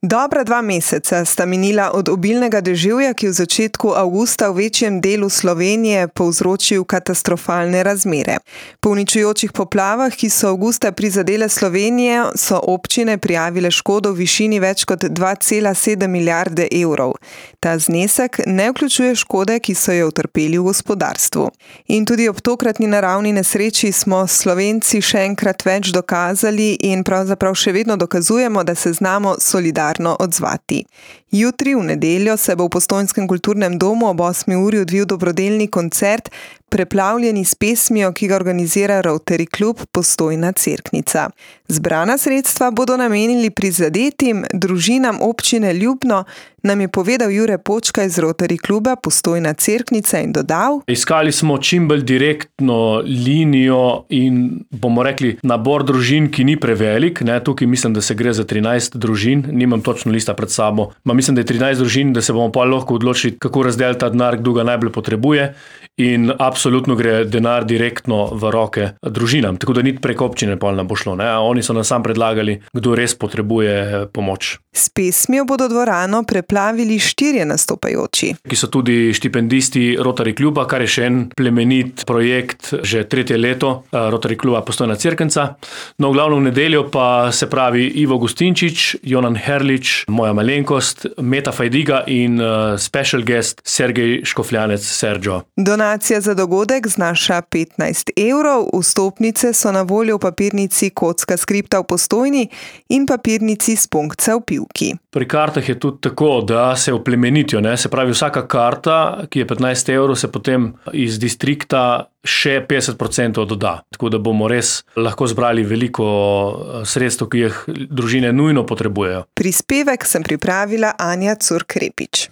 Dobra 2 meseca sta minila od obilnega deževja, ki v začetku avgusta v večjem delu Slovenije povzročil katastrofalne razmere. Po uničujočih poplavah, ki so avgusta prizadele Slovenijo, so občine prijavile škodo v višini več kot 2,7 milijarde evrov. Ta znesek ne vključuje škode, ki so jo utrpeli v gospodarstvu. In tudi ob tokratni naravni nesreči smo Slovenci še enkrat več dokazali in pravzaprav še vedno dokazujemo, da se znamo solidarno odzvati. Jutri, v nedeljo, se bo v Postojnskem kulturnem domu ob 8. uri odvil dobrodelni koncert Preplavljeni s pesmijo, ki ga organizira Rotary klub Postojna Cerknica. Zbrana sredstva bodo namenili prizadetim družinam občine Ljubno, nam je povedal Jure Počka iz Rotary kluba Postojna Cerknica in dodal: Iskali smo čim bolj direktno linijo in, bomo rekli, nabor družin, ki ni prevelik. Tukaj mislim, da se gre za 13 družin, nimam točno lista pred sabo. Mislim, da je 13 družin, da se bomo pa lahko odločili, kako razdeliti ta denar, kdo ga najbolj potrebuje. In absolutno gre denar direktno v roke družinam, tako da niti preko občine pol ne bo šlo. Oni so nam sam predlagali, kdo res potrebuje pomoč. S pesmijo bodo dvorano preplavili 4 nastopajoči, ki so tudi štipendisti Rotary kluba, kar je še en plemenit projekt že 3. leto Rotary kluba Postojna Cerknica. No, v glavnem v nedeljo pa se pravi Ivo Gustinčič, Jonan Herlič, moja malenkost, Meta Fajdiga in special guest Sergej Škofljanec Sergio. Donacija za dogodek znaša 15 evrov, vstopnice so na voljo v papirnici Kocka skripta v Postojni in papirnici Spunkca v Pivki. Pri kartah je tudi tako, da se oplemenitijo. Se pravi, vsaka karta, ki je 15 evrov, se potem iz distrikta še 50% doda. Tako da bomo res lahko zbrali veliko sredstev, ki jih družine nujno potrebujejo. Prispevek sem pripravila Anja Curk-Repič.